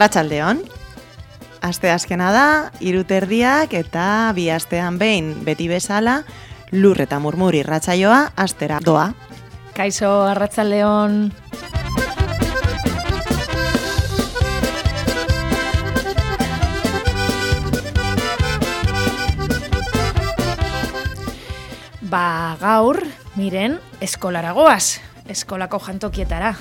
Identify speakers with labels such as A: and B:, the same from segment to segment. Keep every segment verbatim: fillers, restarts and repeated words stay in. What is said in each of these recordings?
A: Arratsaldeon. Aste azkena da, hiru terdiak eta bi astean behin beti bezala Lur eta Murmur irratsaioa astera doa.
B: Kaixo, arratsaldeon. Ba, gaur, miren, eskolara goaz, eskolako jantokietara.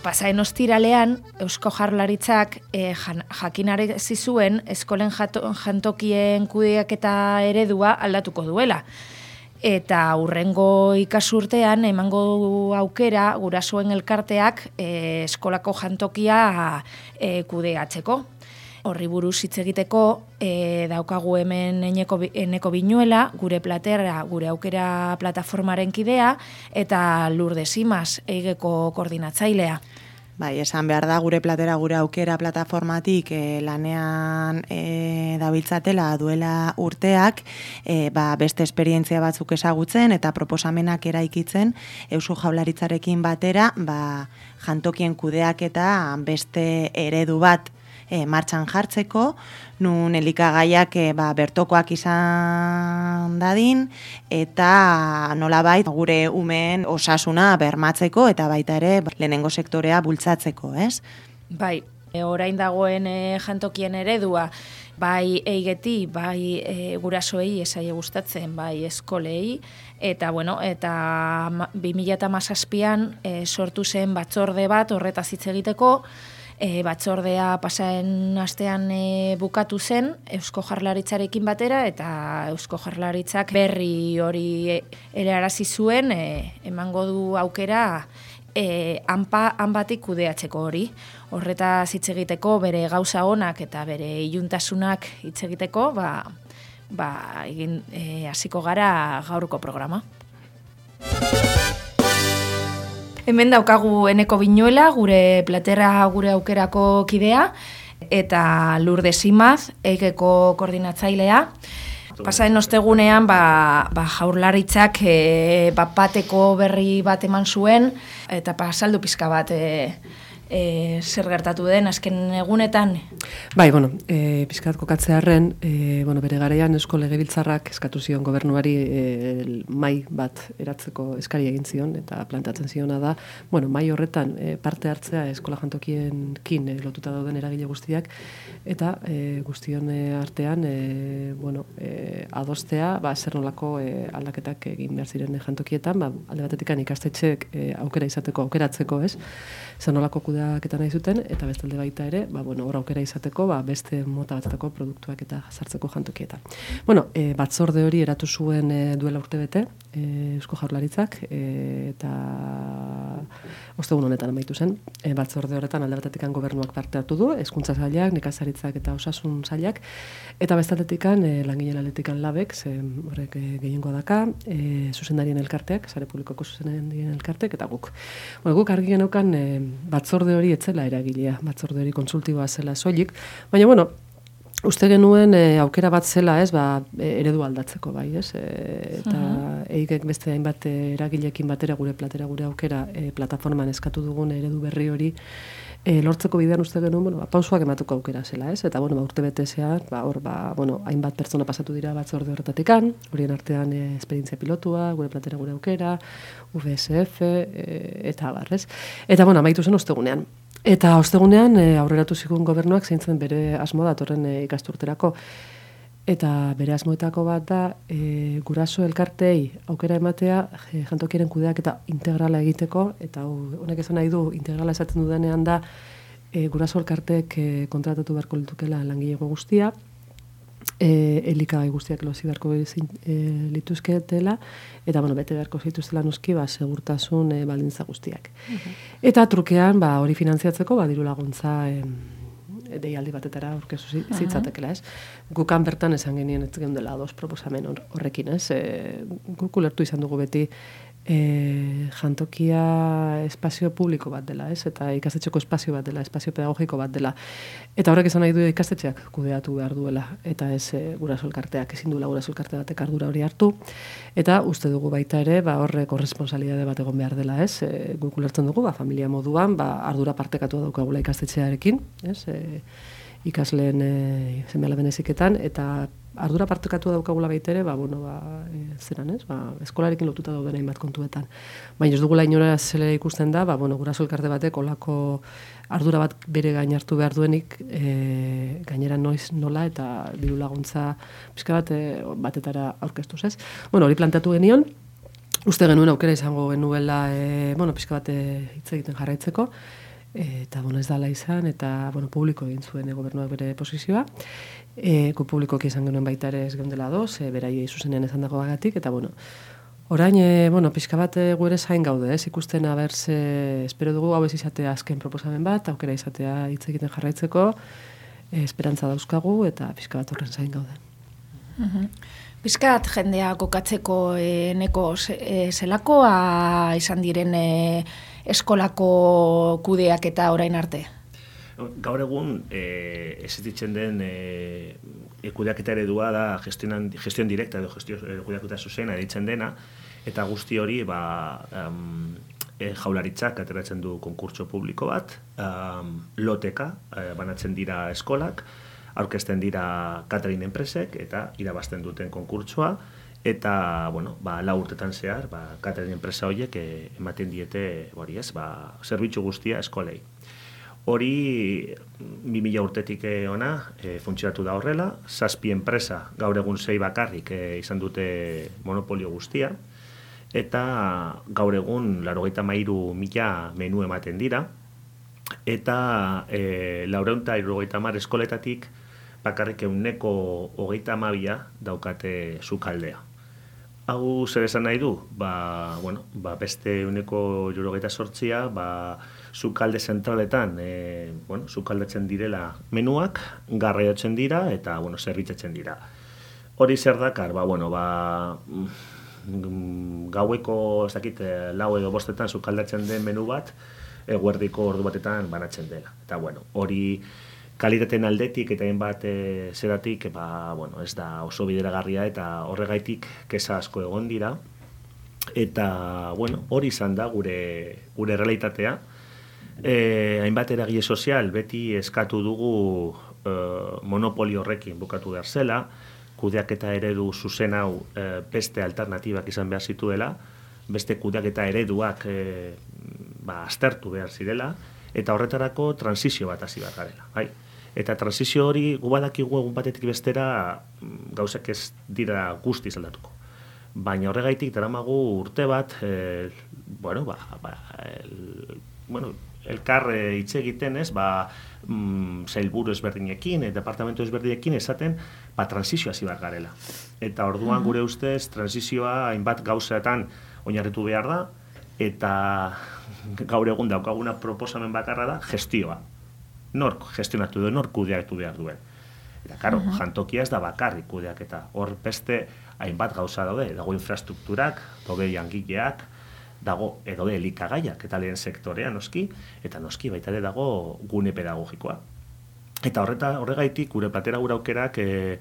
B: Pasaen ostiralean, Eusko Jaurlaritzak eh, jakinarazi zuen eskolen jantokien kudeaketa eredua aldatuko duela. Eta hurrengo ikasurtean emango aukera gurasoen elkarteak eh, eskolako jantokia eh, kudeatzeko. Horri buruz hitz egiteko e, daukagu hemen eneko, eneko binuela, gure platera, gure aukera plataformaren kidea, eta Lourdes Imaz, eigeko koordinatzailea.
A: Bai, esan behar da gure platera, gure aukera plataformatik e, lanean e, dabiltzatela duela urteak, e, ba, beste esperientzia batzuk ezagutzen eta proposamenak eraikitzen Eusko Jaurlaritzarekin batera, ba, jantokien kudeaketa beste eredu bat E, martxan jartzeko, nun elikagaiak e, ba, bertokoak izan dadin, eta nolabait gure umeen osasuna bermatzeko, eta baita ere lehenengo sektorea bultzatzeko, ez?
B: Bai, e, orain dagoen e, jantokien eredua, bai eigeti, bai e, gurasoei esaie gustatzen, bai eskolei, eta bueno, eta bi mila hamazazpian e, sortu zen batzorde bat horretaz hitz egiteko. E, batzordea pasaen astean e, bukatu zen Eusko Jaurlaritzarekin batera, eta Eusko Jaurlaritzak berri hori helarazi zuen e, emango du aukera e, hanpa hanbatik kudeatzeko hori. Horretaz hitz egiteko, bere gauza onak eta bere iluntasunak hitz egiteko, ba, ba egin e, hasiko gara gaurko programa. Hemen daukagu eneko binuela, gure platera gure aukerako kidea, eta Lourdes Imaz, eigeko koordinatzailea. Pasaen ostegunean, ba, ba Jaurlaritzak e, bat bateko berri bat eman zuen, eta pasaldu pizka bat e, e, zer gertatu den azken egunetan.
C: Bai, bueno, e, pizkat kokatzearren, e, bueno, bere garaian Eusko Legebiltzarrak eskatu zion gobernuari e, mai bat eratzeko eskari egin zion, eta plantatzen ziona da, bueno, mai horretan e, parte hartzea eskola jantokienkin e, lotuta dauden eragile guztiak, eta e, guztion e, artean, e, bueno, e, adostea, ba, zer nolako e, aldaketak egin behar ziren jantokietan, ba, alde batetikan ikastetxeek e, aukera izateko, aukeratzeko, ez? Zer nolako kudeaketa nahi zuten, eta bestalde baita ere, ba, bueno, hor aukera izateko, ba, beste mota batzatako produktuak eta sartzeko jantokietan. Bueno, e, batzorde hori eratu zuen e, duela urtebete, e, Eusko Jaurlaritzak, e, eta ostegun honetan amaitu zen. E, batzorde horretan alde batetikan gobernuak parte hartu du, hezkuntza sailak, nekazaritzak eta osasun sailak, eta bestaldetik e, langileen aldetikan labek, ze horrek e, gehiengoa daka, e, zuzendarien elkarteak, sare publikoko zuzendarien elkarteak, eta guk. Bueno, guk argi geneukan e, batzorde hori etzela eragilea, batzorde hori kontsultiboa zela soilik, baina bueno, uste genuen e, aukera bat zela, ez, ba, eredu aldatzeko, bai, ez, e, eta uh-huh. eigek beste hainbat eragileekin batera gure platera gure aukera e, plataforman eskatu dugun eredu berri hori e, lortzeko bidean uste genuen, bueno, ba, pausuak ematuko aukera zela, ez, eta bueno, ba, urte betezean, ba, hor, ba, bueno, hainbat pertsona pasatu dira batzorde horretatikan, horien artean e, esperientzia pilotua, gure platera gure aukera, U V S F, e, eta barrez. Eta bueno, amaitu zen ostegunean. Eta ostegunean e, aurreratu zigun gobernuak zeintzen bere asmo datorren e, ikasturterako. Eta bere asmoetako bat da e, guraso elkartei aukera ematea e, jantokiaren kudeak eta integrala egiteko, eta honek esan nahi du integrala esaten dudanean da e, guraso elkarteek e, kontratatu beharko litukela langilego guztia, e, elikagai guztiak lozi beharko e, lituzketela, eta bueno, bete beharko zituztela noski, ba, segurtasun e, baldintza guztiak. Uh-huh. Eta trukean, ba, hori finantziatzeko, ba, diru laguntza e, deialdi batetara aurkezu zitzatekela, ez? Gukan bertan esan genien ez geundela dos proposamen horrekin, ez? E, guk ulertu izan dugu beti e, jantokia espazio publiko bat dela, ez? Eta ikastetxeko espazio bat dela, espazio pedagogiko bat dela. Eta horrek esan nahi du ikastetxeak kudeatu behar duela, eta ez e, guraso elkarteak, ezin duela guraso elkarte batek ardura hori hartu. Eta uste dugu baita ere, ba, horrek korrespontsalitate bat egon behar dela, ez? E, guk ulertzen dugu, ba, familia moduan, ba, ardura partekatu daukagula ikastetxearekin, ez? E, ikasleen e, seme-alaben heziketan, eta ardura partekatu daukagula baita ere, ba, bueno, ba, e, zeran, ez? Ba, eskolarekin lotuta dauden hainbat kontuetan. Baina ez dugula inora zela ikusten da, ba, bueno, guraso elkarte batek olako ardura bat bere gain hartu behar duenik, e, gainera noiz nola eta diru laguntza pixka bat e, batetara aurkeztuz, ez? Bueno, hori planteatu genion, uste genuen aukera izango genuela, e, bueno, pixka bat hitz egiten jarraitzeko, eta bueno, ez dala izan, eta bueno, publiko egin zuen e, gobernuak bere posizioa. E, gu publikoki izan genuen baita ere ez geundela doz, e, beraiei zuzenean esan dago bagatik, eta bueno, orain, e, bueno, pixka bat e, gu ere zain gaude, ez ikusten abertze, espero dugu hau ez izatea azken proposamen bat, aukera izatea hitz egiten jarraitzeko, e, esperantza dauzkagu, eta pixka bat horren zain gaude.
B: Mhm. Bizkat jendea kokatzeko e, neko e, zelakoa izan diren e, eskolako kudeak eta orain arte?
D: Gaur egun, e, existitzen den e, kudeaketa eredua da gestion, gestion direkta edo gestio kudeaketa zuzena editzen dena, eta guzti hori ba, um, e, jaularitzak ateratzen du konkurtso publiko bat, um, loteka e, banatzen dira eskolak, aurkezten dira catering enpresek eta irabazten duten konkurtsoa, eta bueno, ba, lau urtetan zehar, ba, catering enpresa horiek e, ematen diete hori ez, ba, zerbitzu guztia eskolei. Hori bi mila urtetik ona e, funtzionatu da horrela, zazpi enpresa gaur egun sei bakarrik e, izan dute monopolio guztia, eta gaur egun laurogeita hamairu mila menu ematen dira, eta e, laurehun eta hirurogeita hamar eskoletatik bakarrik ehuneko hogeita hamabia daukate sukaldea. Hau zer esan nahi du? Ba, bueno, ba beste ehuneko hirurogeita zortzia, ba, sukalde zentraletan, e, bueno, sukaldatzen direla menuak, garraiotzen dira eta bueno, zerbitzatzen dira. Hori zer dakar, ba, bueno, ba, gaueko, ez dakit, lau edo bostetan sukaldatzen den menu bat, eguerdiko ordu batetan banatzen dela. Eta bueno, hori kalitateen aldetik eta hainbat e, zeratik, ba, bueno, ez da oso bideragarria eta horregaitik kesa asko egon dira. Eta bueno, hori izan da gure gure realitatea. E, hainbat eragile sozial beti eskatu dugu e, monopolio horrekin bukatu behar zela, kudeaketa eredu zuzen hau e, beste alternatibak izan behar zituela, beste kudeaketa ereduak e, ba, aztertu behar zirela, eta horretarako transizio bat hasi behar garela. Bai. Eta transizio hori gu badakigu egun batetik bestera gauzak ez dira guztiz aldatuko. Baina horregaitik daramagu urte bat, e, bueno, ba, ba, el, bueno, elkar hitz egiten ez, ba, mm, sailburu ezberdinekin, e, departamentu ezberdinekin esaten, ba, transizioa hasi behar garela. Eta orduan gure ustez, transizioa hainbat gauzetan oinarritu behar da, eta gaur egun daukaguna proposamen bakarra da gestioa. Nork gestionatu du, nork kudeatu behar duen. Eta, karo, uh-huh. jantokia ez da bakarrik kudeaketa. Hor beste hainbat gauza daude, dago infrastrukturak, daude jangileak, dago edo de elikagaiak eta lehen sektorea noski, eta noski baita ere dago gune pedagogikoa. Eta horreta horregaitik gure platera gure aukerak e,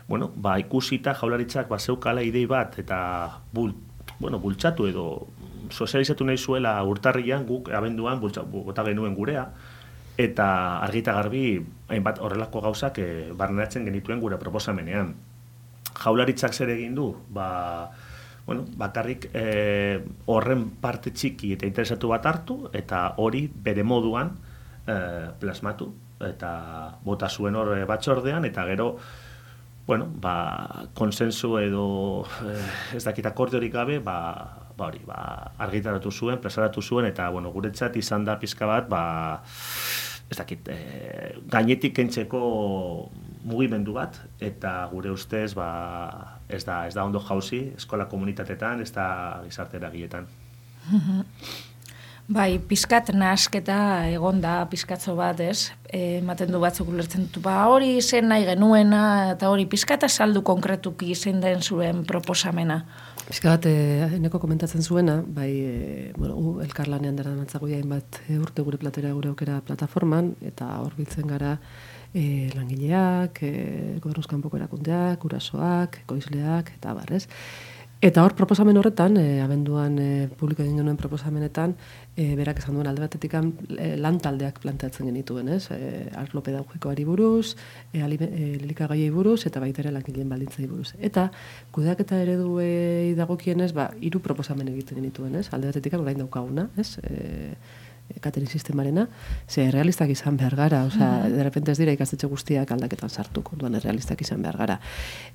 D: bueno, ba, ikusita jaularitzak ba, zeukala idei bat eta bul, bueno, bultzatu edo sozializatu nahi zuela urtarrian guk abenduan bota genuen gurea, eta argita garbi hainbat horrelako gauzak e, barneratzen genituen gure proposamenean. Jaularitzak zer egin du? Ba, bueno, bakarrik e, horren parte txiki eta interesatu bat hartu, eta hori bere moduan e, plasmatu, eta bota zuen hor batzordean, eta gero, bueno, ba, konsensu edo e, ez dakit akordiorik gabe, ba, ba hori, ba, argitaratu zuen, plazaratu zuen, eta bueno, guretzat izan da pizka bat, ba, ez dakit, e, gainetik kentzeko mugimendu bat, eta gure ustez, ba, ez da, ez da ondo jauzi, eskola komunitatetan, ez da gizarte eragiletan.
B: Bai, pizkat nahasketa egon da, pizkatzo bat, ez? E, ematen du batzuk ulertzen dut, ba, hori zen nahi genuena, eta hori pizkata saldu konkretuki zein den zuen proposamena.
C: Pizkat, e, eneko komentatzen zuena, bai, e, bueno, u, elkarlanean dara mantzago hainbat e, urte gure platera gure aukera plataforman, eta hor biltzen gara e, langileak, e, gobernuzkanpoko erakundeak, gurasoak, ekoizleak, eta barrez. Eta hor proposamen horretan, e, abenduan e, publiko egin genuen proposamenetan, e, berak esan duen alde batetik e, lan taldeak planteatzen genituen, ez? E, arlo pedagogikoari buruz, e, elikagaiei buruz, eta baita ere langileen baldintzei buruz. Eta kudeaketa ereduei dagokienez, ba, hiru proposamen egiten genituen, ez? Alde batetik orain daukaguna, ez? E, catering sistemarena, ze realistak izan behar gara, osea, de repente ez dira ikastetxe guztiak aldaketan sartuko, orduan realistak izan behar gara.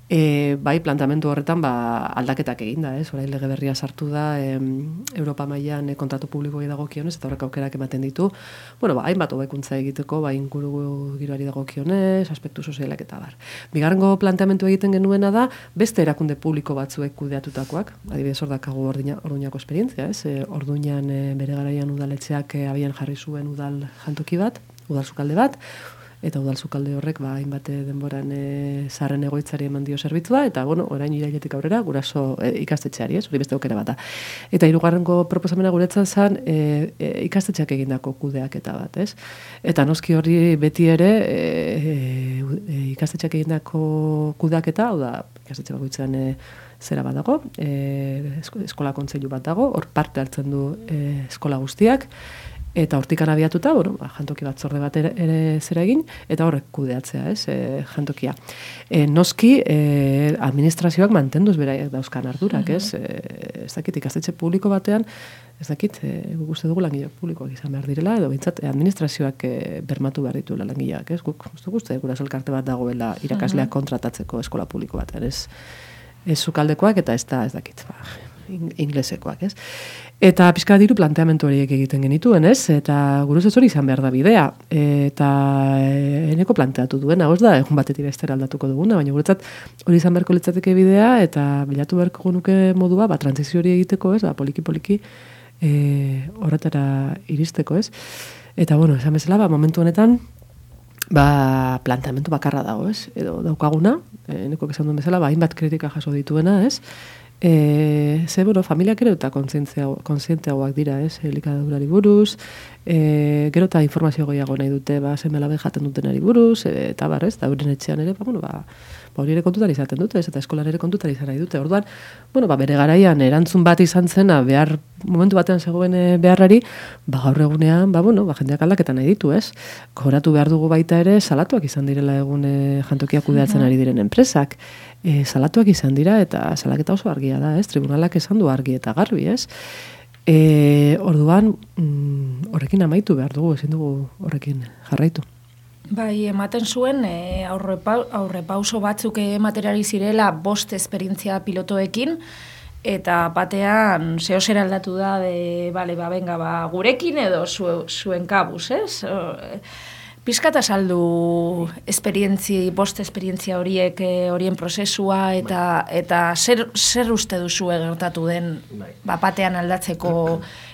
C: E, bai, plantamendu horretan, ba, aldaketak egin da, ez? Orain lege berria sartu da, em, Europa mailan e, kontratu publikoei dagokionez, eta horrek aukerak ematen ditu, bueno, ba, hainbat hobekuntza egiteko, ba, inguru giroari dagokionez, aspektu sozialak eta bar. Bigarrengo planteamendu egiten genuena da, beste erakunde publiko batzuek kudeatutakoak, adibidez hor dakagu Orduñako esperientzia, ez? E, Orduñan e, bere garaian udaletxeak abian jarri zuen udal jantoki bat, udal sukalde bat, eta udal sukalde horrek ba, hainbat denboran e, zaharren egoitzari eman dio zerbitzua, eta bueno, orain irailetik aurrera guraso e, ikastetxeari, ez, hori beste aukera bata. Eta hirugarrengo proposamena guretzat zen e, e, ikastetxeak egindako kudeaketa bat, ez? Eta noski hori beti ere e, e, ikastetxeak egindako kudeaketa, hau da, ikastetxe bakoitzean e, zera bat dago, e, eskola kontseilu bat dago, hor parte hartzen du e, eskola guztiak, eta hortikan abiatuta, bueno, ba, jantoki batzorde bat ere, ere zera egin, eta horrek kudeatzea, ez, e, jantokia. E, noski, e, administrazioak mantenduz beraiek dauzkan ardurak, ez, e, ez dakit, ikastetxe publiko batean, ez dakit, e, guzti dugu langileak publikoak izan behar direla, edo bintzat, administrazioak e, bermatu behar dituela langileak, ez, guk, guzti guzti, guraso elkarte bat dagoela irakasleak kontratatzeko eskola publiko batean, ez, ez sukaldekoak eta ez da, ez dakit, ba, inglesekoak, ez? Eta pizka diru planteamendu horiek egiten genituen, ez? Eta gure hori izan behar da bidea. Eta eneko planteatu duena, ez da, egun batetik bestera aldatuko duguna, baina guretzat hori izan beharko litzateke bidea, eta bilatu beharko nuke modua, ba, transizio hori egiteko, ez? Ba, poliki-poliki e, horretara iristeko, ez? Eta, bueno, esan bezala, ba, momentu honetan, ba, planteamendu bakarra dago, ez? Edo daukaguna, eneko esan duen bezala, ba, hainbat kritika jaso dituena, ez? E, ze, bueno, familiak ere eta kontzienteagoak dira, ez, elikadurari buruz, e, gero eta informazio gehiago nahi dute, ba, zenbelabe jaten dutenari buruz, e, eta bar, ez, da euren etxean ere, ba, bueno, ba, ba hori ere kontutan izaten dute, ez, eta eskolan ere kontutan izan nahi dute, orduan, bueno, ba, bere garaian erantzun bat izan zena, behar, momentu batean zegoen beharrari, ba, gaur egunean, ba, bueno, ba, jendeak aldaketan nahi ditu, ez, koratu behar dugu baita ere, salatuak izan direla egun e, jantokiak kudeatzen ari diren enpresak, e, salatuak izan dira, eta salaketa oso argia da, ez, tribunalak esan du argi eta garbi, ez, e, orduan, mm, horrekin amaitu behar dugu, ezin dugu horrekin jarraitu.
B: Bai, ematen zuen, e, aurrepauso batzuk ematerari zirela bost esperientzia pilotoekin, eta batean zeo zer aldatu da, de, bale, ba, benga, ba, gurekin edo zu, zuen kabuz, ez? Pizkata saldu esperientzi, bost esperientzia horiek, horien prozesua, eta, eta zer, zer uste duzu gertatu den bapatean aldatzeko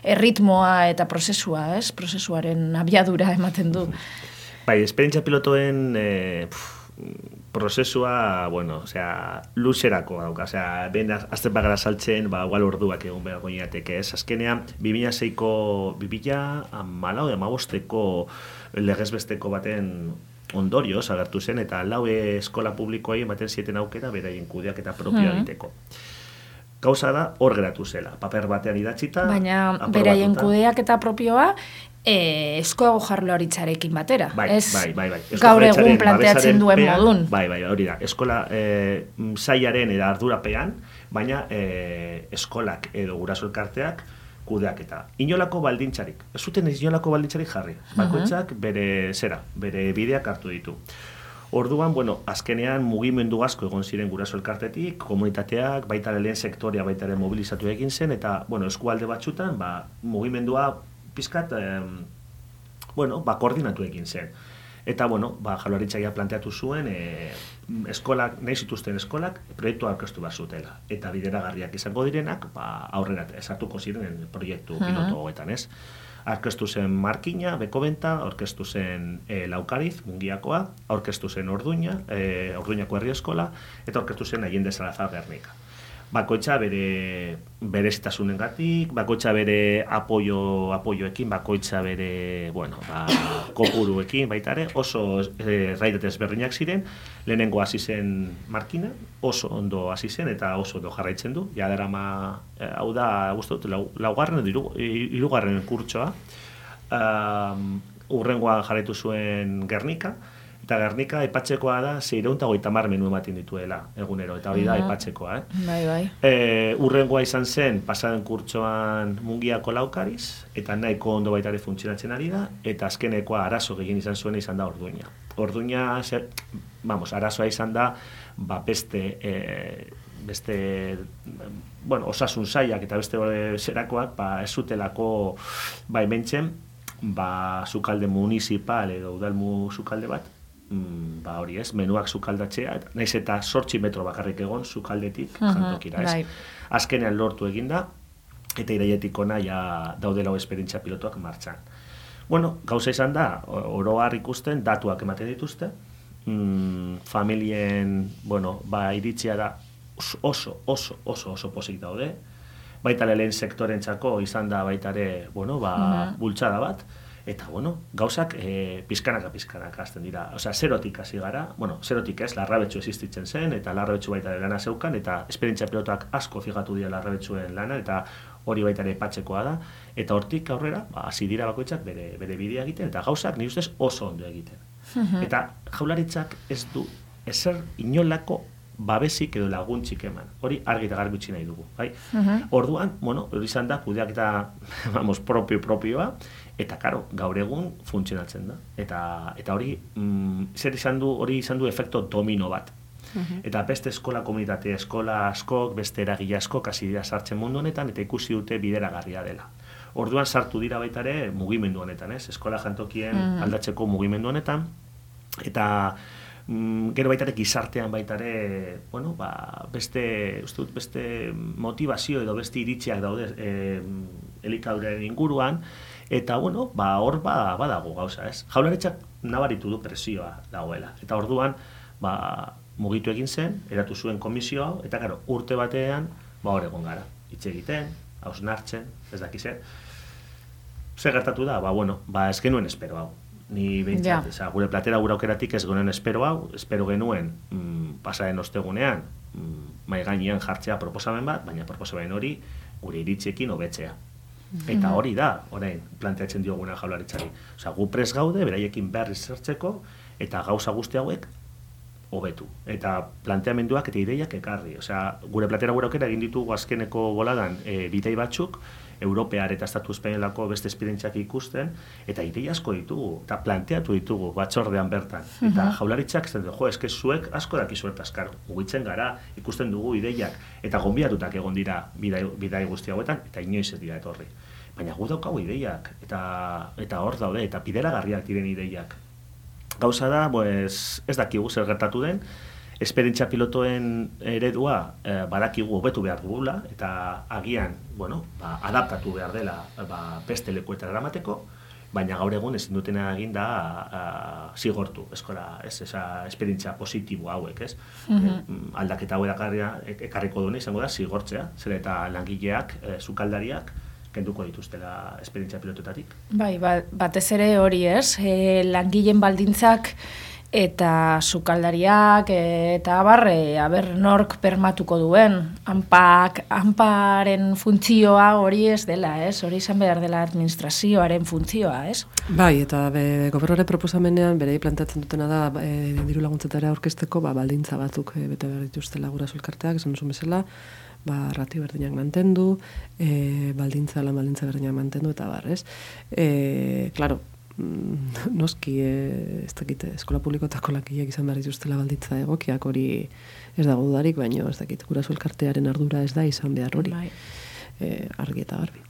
B: erritmoa eta prozesua, ez? Prozesuaren abiadura ematen du.
D: Bai, esperientzia pilotoen eh, prozesua, bueno, osea, luzerako dauka, osea, ben azten bagara saltzen, ba, igual orduak egun behar goinateke, ez? Azkenean, bi mila seiko, bi mila hamalau, hamabosteko legezbesteko baten ondorioz agertu zen, eta lau eskola publikoei ematen zieten aukera beraien kudeak eta propioa egiteko. Gauza da, hor geratu zela, paper batean idatzita.
B: Baina beraien kudeak eta propioa, E, esko jarlaritzarekin batera.
D: Bai,
B: ez
D: bai, bai, bai.
B: Gaur egun planteatzen duen pean, modun.
D: Bai, bai, hori da. Eskola e, sailaren eta ardurapean, baina e, eskolak edo guraso elkarteak kudeak eta inolako baldintzarik. Ez zuten inolako baldintzarik jarri. Bakoitzak bere zera, bere bideak hartu ditu. Orduan, bueno, azkenean mugimendu asko egon ziren guraso elkartetik, komunitateak, baita lehen sektorea baita ere mobilizatu egin zen, eta, bueno, eskualde batzutan, ba, mugimendua pizkat, eh, bueno, ba, koordinatu egin zen. Eta, bueno, ba, Jaurlaritzak ja planteatu zuen, e, eskolak, nahi zituzten eskolak, proiektua aurkeztu behar zutela. Eta bideragarriak izango direnak, ba, aurrera esartuko ziren proiektu piloto hoetan, ez? Aurkeztu zen Markina, Bekobenta, aurkeztu zen e, Laukariz, Mungiakoa, aurkeztu zen Orduña, e, Orduñako herri eskola, eta aurkeztu zen Allende Salazar Gernika. Bakoitza bere berezitasunengatik, bakoitza bere apoio apoioekin, bakoitza bere, bueno, ba, kopuruekin baita ere, oso eh, raidet ezberdinak ziren. Lehenengo hasi zen Markina, oso ondo hasi zen eta oso ondo jarraitzen du. Ja darama, eh, hau da, gustu dut, lau, laugarren edo hirugarren kurtsoa. Um, urrengoan jarraitu zuen Gernika. Eta Gernika aipatzekoa da seiehun eta hogeita hamar menu ematen dituela egunero, eta hori da aipatzekoa. Eh?
B: Bai, bai.
D: E, urrengoa izan zen, pasaden kurtsoan Mungiako Laukariz, eta nahiko ondo baita ere funtzionatzen ari da, eta azkenekoa arazo gehien izan zuen izan da Orduña. Orduña, zer, vamos, arazoa izan da, ba, beste, e, beste, bueno, osasun sailak eta beste zerakoak, ba, ez zutelako, ba, hementzen, ba, sukalde municipal edo udalmu sukalde bat, Mm, ba hori ez, menuak sukaldatzea, naiz eta zortzi metro bakarrik egon sukaldetik uh-huh, jantokira, ez? Right. Azkenean lortu eginda, eta irailetik ona ja daudela esperientzia pilotoak martxan. Bueno, gauza izan da, oro har ikusten, datuak ematen dituzte, mm, familien, bueno, ba iritzia da oso, oso, oso, oso, oso pozik daude, baita lehen sektorentzako izan da baita ere, bueno, ba, uh-huh. bultzada bat, eta, bueno, gauzak e, pizkanaka pizkanaka hasten dira. Osea, zerotik hasi gara, bueno, zerotik ez, Larrabetxu existitzen zen, eta Larrabetxu baita ere lana zeukan, eta esperientzia pilotoak asko fijatu dira Larrabetxuen lana, eta hori baita ere patzekoa da, eta hortik aurrera, ba, hasi dira bakoitzak bere, bere bidea egiten, eta gauzak nire ustez oso ondo egiten. Uh-huh. Eta Jaurlaritzak ez du ezer inolako babesik edo laguntzik eman. Hori argi eta garbi utzi nahi dugu, bai? Uh-huh. Orduan, bueno, hori izan da kudeaketa, vamos, propio propioa, eta karo, gaur egun funtzionatzen da. Eta eta hori mm, zer izan du, hori izan du efekto domino bat. Uh-huh. Eta beste eskola komunitate, eskola askok, beste eragile askok hasi dira sartzen mundu honetan eta ikusi dute bideragarria dela. Orduan sartu dira baita ere mugimendu honetan, ez? Eskola jantokien uh-huh. aldatzeko mugimendu honetan, eta mm, gero baita ere gizartean baita ere, bueno, ba, beste, uste dut, beste motivazio edo beste iritziak daude eh, elikaduraren inguruan, eta, bueno, ba, hor ba, badago gauza, ez? Jaurlaritzak nabaritu du presioa dagoela, eta orduan, ba, mugitu egin zen, eratu zuen komisio hau, eta, karo, urte batean, ba, hor egon gara, hitz egiten, hausnartzen, ez dakize. Zer gertatu da? Ba, bueno, ba, ez genuen espero hau. Ni behintzat, yeah. gure platera gure aukeratik ez genuen espero hau, espero genuen mm, pasaren ostegunean mm, mai gainean jartzea proposamen bat, baina proposamen hori gure iritziekin hobetzea. Mm-hmm. Eta hori da, orain, planteatzen dioguna Jaurlaritzari. Osea, gu prest gaude, beraiekin berriz zertzeko, eta gauza guzti hauek hobetu. Eta planteamenduak eta ideiak ekarri. Osea, gure platera gure aukera egin ditugu azkeneko boladan e, bidei batzuk, Europear eta Estatu Espainolako beste esperientziak ikusten, eta idei asko ditugu, eta planteatu ditugu batzordean bertan. Uh-huh. Eta Jaurlaritzak zen du, jo, eske zuek asko dakizuet askar, mugitzen gara, ikusten dugu ideiak, eta gonbidatutak egon dira bidai, bidai guzti hauetan, eta inoiz ez dira etorri. Baina gu daukagu ideiak, eta eta hor daude, eta bideragarriak diren ideiak. Gauza da, pues, ez dakigu zer gertatu den, esperientzia pilotoen eredua eh, badakigu hobetu behar dugula, eta agian, bueno, ba, adaptatu behar dela ba, beste lekuetara eramateko, baina gaur egun ezin dutena egin da a, zigortu, eskola, ez, esa esperientzia positibo hauek, ez? Uh-huh. E, aldaketa hau ekarriko duena izango da zigortzea, zer eta langileak, e, sukaldariak, kenduko dituztela esperientzia pilototatik.
B: Bai, batez ere hori ez, e, langileen baldintzak eta sukaldariak eta abar, e, aber nork permatuko duen, hanpak, hanparen funtzioa hori ez dela, ez? Hori izan behar dela administrazioaren funtzioa, ez?
C: Bai, eta be, gobernuaren proposamenean berei planteatzen dutena da e, diru laguntzetara aurkezteko ba, baldintza batzuk e, bete behar dituztela guraso elkarteak, esan duzun bezala, ba, ratio berdinak mantendu, e, baldintza, lan baldintza berdinak mantendu, eta bar, ez? E, claro, noski, e, ez dakit, eskola publikotako lakileak izan behar dituztela baldintza egokiak, hori ez dago dudarik, baina ez dakit, guraso elkartearen ardura ez da izan behar hori. Bai. E, argi eta garbi.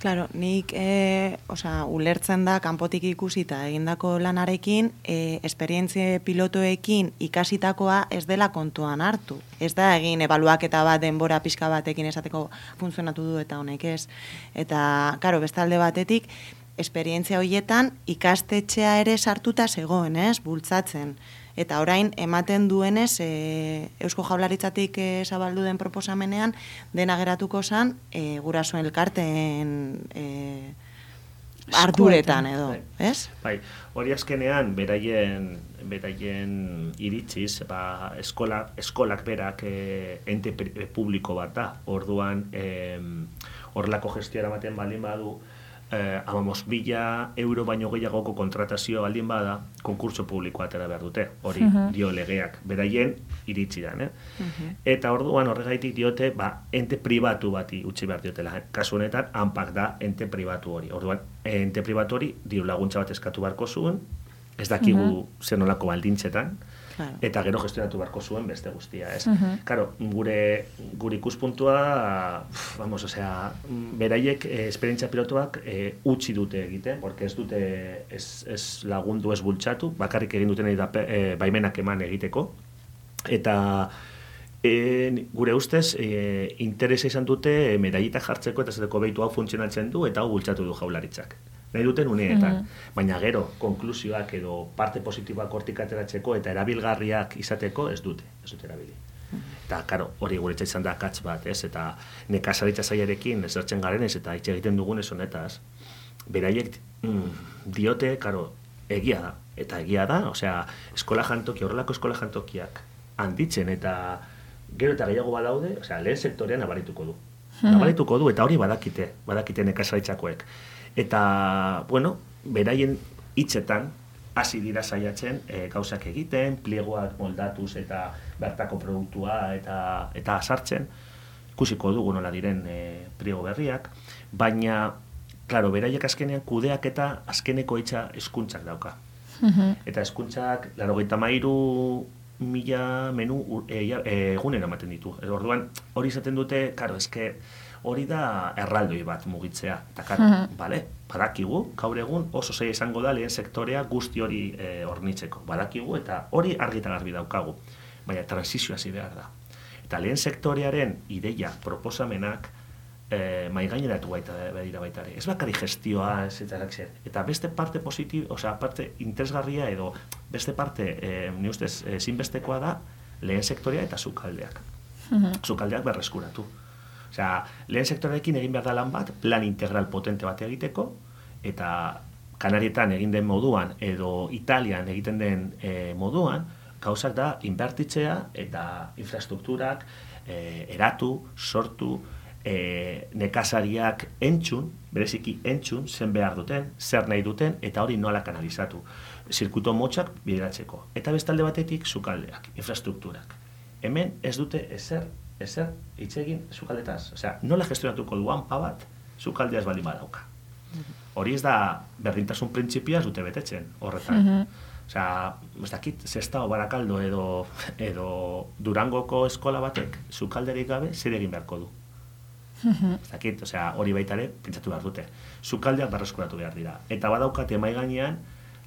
A: Claro, nik e, osea, ulertzen da kanpotik ikusita egindako lanarekin, e, esperientzia pilotoekin ikasitakoa ez dela kontuan hartu. Ez da egin ebaluaketa bat denbora pixka batekin esateko funtzionatu du eta honek ez. Eta, claro, beste alde batetik, esperientzia horietan ikastetxea ere sartuta zegoen, ez, bultzatzen. Eta orain ematen duenez, e, Eusko Jaurlaritzatik e, zabaldu den proposamenean, dena geratuko zan, e, gurasoen elkarteen e, arduretan edo, ez?
D: Bai, hori azkenean, beraien, beraien iritziz, ba, eskola, eskolak berak e, ente publiko bat da, orduan, horrelako e, gestioa ematen baldin badu, Eh, amamos, bila euro baino gehiagoko kontratazio baldin bada, konkurso publikoa atera behar dute, hori uh-huh. dio legeak, beraien iritsi da, eh? Uh-huh. Eta orduan horregaitik diote, ba, ente pribatu bati utzi behar diotela. Kasu honetan, hanpak da ente pribatu hori. Orduan, ente pribatu hori, diru laguntza bat eskatu beharko zuen, ez dakigu uh-huh. zer nolako baldintzetan, claro. Eta gero gestionatu beharko zuen beste guztia, ez? Uh-huh. Claro, gure, gure ikuspuntua, vamos, osea, beraiek eh, esperientzia pilotuak eh, utzi dute egiten, porque ez dute ez, ez lagundu ez bultzatu, bakarrik egin duten da, eh, baimenak eman egiteko, eta eh, gure ustez eh, interesa izan dute eh, medallitak jartzeko eta zeteko behitu hau funtzionatzen du eta hau bultzatu du Jaurlaritzak. Nahi duten uneetan, mm-hmm. baina gero konklusioak edo parte positiboak hortik ateratzeko eta erabilgarriak izateko ez dute, ez dute erabili. Mm-hmm. Eta, karo, hori guretza izan da akats bat, ez? Eta nekazaritza zailarekin ezertzen garen ez, eta hitz egiten dugunez honetaz, beraiek mm, diote, karo, egia da, eta egia da, osea, eskola jantoki, horrelako eskola jantokiak handitzen, eta gero eta gehiago badaude, osea, lehen sektorean nabarituko du. Mm-hmm. Nabarituko du, eta hori badakite, badakite nekazaritzakoek. Eta, bueno, beraien hitzetan hasi dira saiatzen e, gauzak egiten, pliegoak moldatuz eta bertako produktua eta eta sartzen, ikusiko dugu nola diren e, pliego berriak, baina, claro, beraiek azkenean kudeak eta azkeneko hitza hezkuntzak dauka. Uh-huh. Eta hezkuntzak, laurogeita hamairu mila menu e, e, egunen ematen ditu. Orduan, hori izaten dute, karo, eske hori da erraldoi bat mugitzea. Eta, karo, uh-huh. bale, badakigu, gaur egun oso zaila izango da lehen sektorea guzti hori e, hornitzeko. Badakigu eta hori argita garbi daukagu. Baina transizioa zi behar da. Eta lehen sektorearen ideia, proposamenak, e, maigaineratu baita badira baita ere. Ez bakari gestioa, ez eta erakzer. Eta beste parte positibo, osea, parte interesgarria edo beste parte, e, ni ustez, ezinbestekoa da lehen sektorea eta sukaldeak. Uh-huh. Sukaldeak berreskuratu. Osea, lehen sektoreekin egin behar da lan bat, plan integral potente bat egiteko, eta Kanarietan egin den moduan, edo Italian egiten den e, moduan, gauzak da inbertitzea eta infrastrukturak e, eratu, sortu, e, nekazariak entzun, bereziki entzun, zen behar duten, zer nahi duten, eta hori nola kanalizatu. Zirkuito motxak bideratzeko. Eta bestalde batetik, sukaldeak, infrastrukturak. Hemen ez dute ezer, ezer hitz egin sukaldetaz. Osea, nola gestionatuko duan pa bat, sukaldeaz baldin badauka. Hori ez da berdintasun printzipia ez dute betetzen horretan. Uh-huh. Osea, ez dakit, Sestao, Barakaldo edo, edo Durangoko eskola batek sukalderik gabe zer egin beharko du. Uh-huh. Ez dakit, osea, hori baita ere pentsatu behar dute. Sukaldeak berreskuratu behar dira. Eta badaukate mahai gainean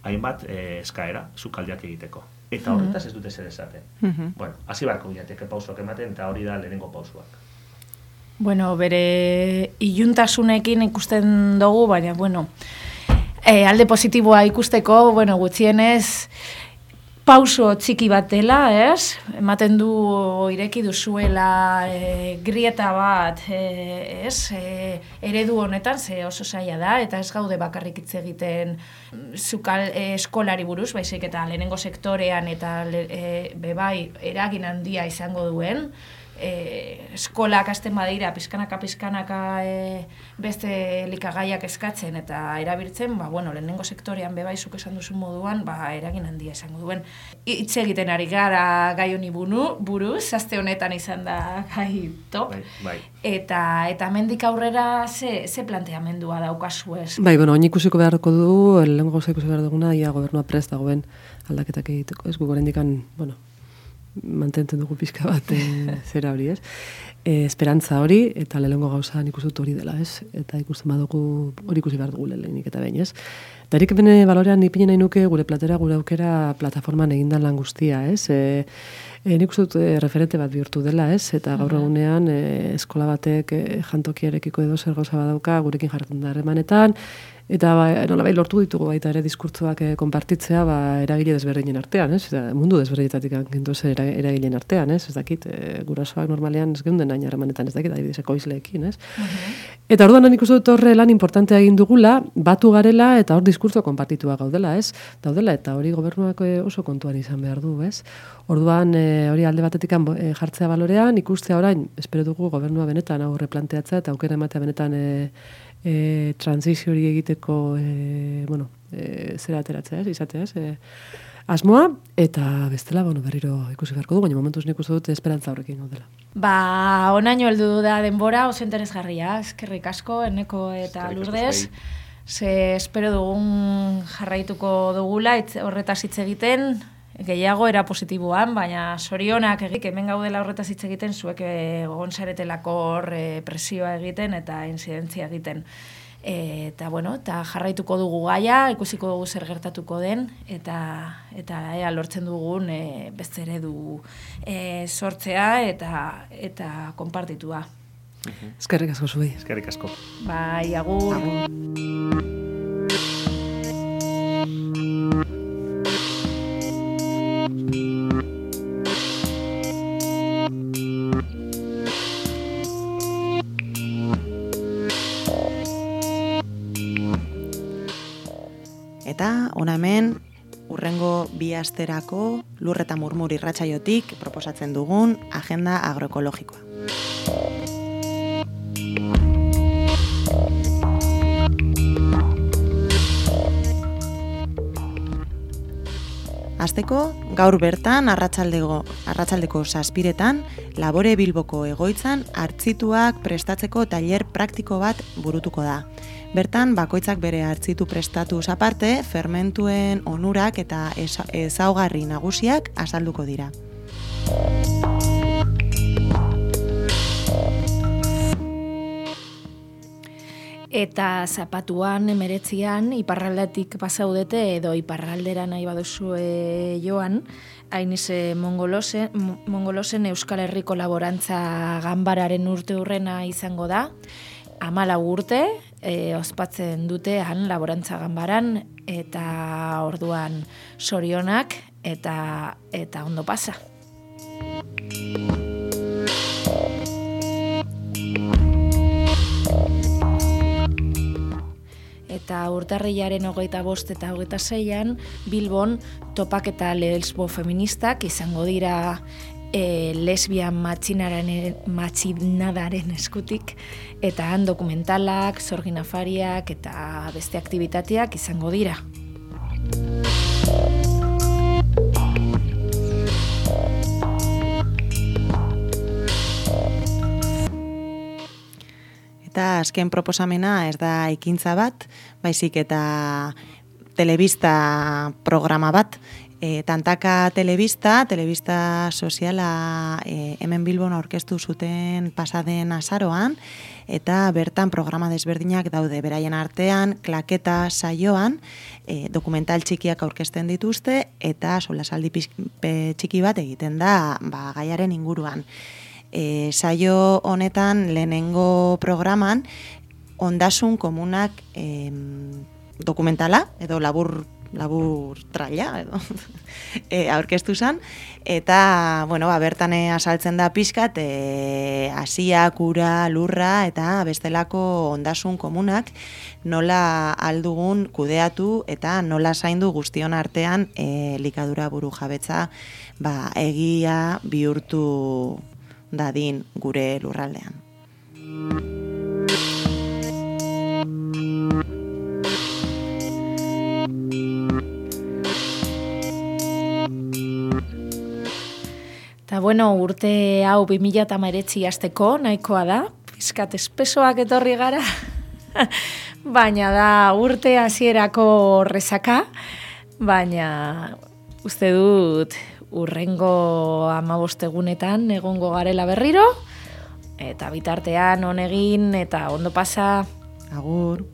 D: hainbat eh, eskaera sukaldeak egiteko. Eta horretaz ez dute zer esaten. Uh-huh. Bueno, hasi beharko bilateke pausoak ematen, eta hori da lehenengo pausoak.
B: Bueno, bere iluntasunekin ikusten dugu, baina, bueno, e, alde positiboa ikusteko, bueno, gutxienez, pauso txiki bat dela, ez? Ematen du ireki duzuela e, grieta bat, e, ez? E, eredu honetan, ze oso zaila da, eta ez gaude bakarrik hitz egiten zukal e, eskolari buruz, baizik eta lehenengo sektorean eta le, e, bebai eragin handia izango duen, E, eskolak hasten badira pizkanaka pizkanaka e, beste elikagaiak eskatzen eta erabiltzen, ba, bueno, lehenengo sektorean bebaizuk esan duzun moduan, ba, eragin handia izango duen. Hitz egiten ari gara gai honi buruz, aste honetan izan da gai top,
D: bai, bai.
B: eta eta hemendik aurrera ze, ze planteamendua daukazu ez?
C: Bai, bueno, oin ikusiko beharko du, lehenengo gauza ikusi behar duguna, ia gobernua prest dagoen aldaketak egiteko, ez gu gorendikan, bueno, mantentzen dugu pixka bat e, zera hori, ez? E, esperantza hori, eta lehengo gauza nik uste dut hori dela, ez? Eta ikusten badugu hori ikusi behar dugu lehenik eta behin, ez? Eta erik bene balorean nipinen nahi nuke gure platera, gure aukera plataforman egindan lan guztia, ez? E, e, nik uste dut e, referente bat bihurtu dela, ez? Eta gaur egunean e, eskola batek e, jantokiarekiko edo zer gauza badauka gurekin jarretan da harremanetan, eta ba, nolabait lortu ditugu baita ere diskurtzoak e, konpartitzea ba, eragile desberdinen artean, ez? Eta mundu desberdinetatik gindu zer eragileen artean, ez? Ez dakit, e, gurasoak normalean ez geunden nahi harremanetan, ez dakit, adibidez ekoizleekin, ez? Uh-huh. Eta orduan nik uste dut horre lan importantea egin dugula, batu garela eta hor diskurtzo konpartitua gaudela, ez? Daudela, eta hori gobernuak oso kontuan izan behar du, ez? Orduan e, hori alde batetik e, jartzea balorean, ikustea orain, espero dugu gobernua benetan aurre planteatzea eta aukera ematea benetan e, E, transizio hori egiteko e, bueno, e, zera ateratzea, ez, izatea, ez, e, asmoa, eta bestela, bueno, berriro ikusi beharko du, baina momentuz nik uste dut esperantza horrekin gaudela.
B: Ba, onaino heldu da denbora, oso interesgarria, eskerrik asko, Eneko eta Lourdes, ze espero dugun jarraituko dugula, etz, horretaz hitz egiten, gehiago era positiboan, baina sorionak egik, hemen gaudela horretaz hitz egiten, zuek egon zaretelako hor presioa egiten eta inzidentzia egiten. E, eta, bueno, eta jarraituko dugu gaia, ikusiko dugu zer gertatuko den, eta eta ea lortzen dugun e, beste eredu e, sortzea eta eta konpartitua.
C: Uh-huh. Eskerrik asko zuei.
D: Eskerrik asko.
B: Bai, agur. Agur.
A: Eta hona hemen urrengo bi asterako Lur eta Murmur irratsaiotik proposatzen dugun agenda agroekologikoa. Hasteko, gaur bertan arratsaldego arratsaldeko zazpiretan Labore Bilboko egoitzan hartzituak prestatzeko tailer praktiko bat burutuko da. Bertan, bakoitzak bere hartzitu prestatuz aparte, fermentuen onurak eta ezaugarri nagusiak azalduko dira.
B: Eta zapatuan, emeretzian, iparraldatik pasaudete edo iparraldera nahi baduzue joan, Ainize Mongolosen, Mongolosen Euskal Herriko Laborantza Ganbararen urte hurrena izango da, hamalau urte, e, ospatzen dute han Laborantza Ganbaran, eta orduan sorionak eta eta ondo pasa. Eta urtarrilaren hogeita bost eta hogeita seian, Bilbon topaketa lesbo feministak izango dira e, lesbian matxinadaren eskutik, eta han dokumentalak, sorgin afariak eta beste aktibitateak izango dira.
A: Eta azken proposamena ez da ekintza bat, baizik eta telebista programa bat. E, tantaka telebista, telebista soziala e, hemen Bilbon aurkeztu zuten pasaden azaroan, eta bertan programa desberdinak daude beraien artean, klaketa saioan, e, dokumental txikiak aurkezten dituzte, eta solasaldi txiki bat egiten da ba, gaiaren inguruan. E, saio honetan lehenengo programan ondasun komunak e, dokumentala edo labur labur traila edo e, aurkeztu zen, eta bueno, ba, bertan azaltzen da pixkat e, hasiak, ura, lurra eta bestelako ondasun komunak nola aldugun kudeatu eta nola zaindu guztion artean e, likadura buru jabetza ba, egia bihurtu dadin gure lurraldean.
B: Eta bueno, urte hau bi mila hemeretzi hasteko nahikoa da, pizkat espesoak etorri gara, baina da urte hasierako rezaka, baina uste dut urrengo hamabost egunetan egongo garela berriro, eta bitartean on egin eta ondo pasa.
A: Agur.